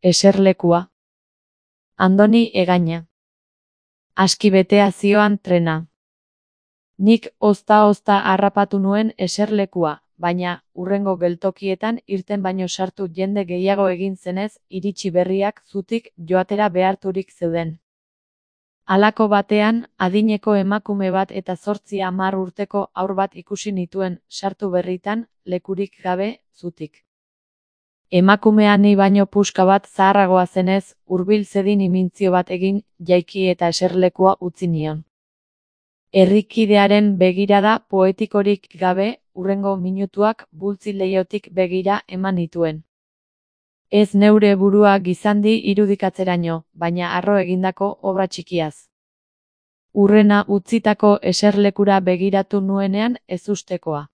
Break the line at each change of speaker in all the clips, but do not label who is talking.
Eserlekua. Andoni Egaña. Aski betea zioan trena. Nik ozta-ozta harrapatu nuen eserlekua, baina, hurrengo geltokietan irten baino sartu jende gehiago egin zenez, iritsi berriak zutik joatera beharturik zeuden. Halako batean, adineko emakume bat eta 8-10 urteko haur bat ikusi nituen, sartu berritan, lekurik gabe, zutik. Emakumea ni baino puska bat zaharragoa zenez, hurbil zedin imintzio bat egin, jaiki eta eserlekua utzi nion. Herrikidearen begirada poetikorik gabe, hurrengo minutuak bultzi leihotik begira eman nituen. Ez neure burua gizandi irudikatzeraino, baina harro egindako obra txikiaz. Hurrena utzitako eserlekura begiratu nuenean ezustekoa.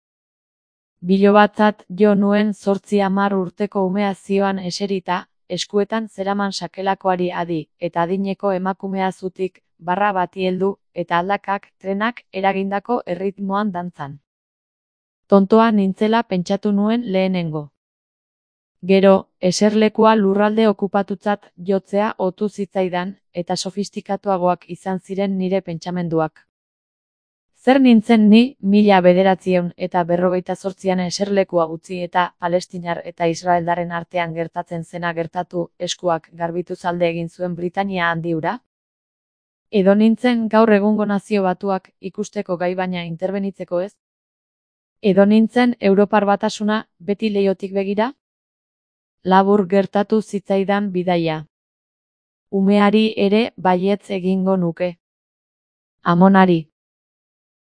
Bilobatzat jo nuen 8-10 urteko umea zioan eserita, eskuetan zeraman sakelakoari adi, eta adineko emakumea zutik, barra bati heldu, eta aldakak, trenak, eragindako erritmoan dantzan. Tontoa nintzela pentsatu nuen lehenengo. Gero, eserlekua lurralde okupatutzat jotzea otu zitzaidan, eta sofistikatuagoak izan ziren nire pentsamenduak. Zer nintzen ni, 1948an eserlekua utzi eta palestinar eta israeldarren artean gertatzen zena gertatu eskuak garbituz alde egin zuen Britania handi hura? Edo nintzen gaur egungo Nazio Batuak ikusteko gai baina interbenitzeko ez? Edo nintzen Europar Batasuna beti leihotik begira? Labur gertatu zitzaidan bidaia. Umeari ere baietz egingo nuke. Amonari.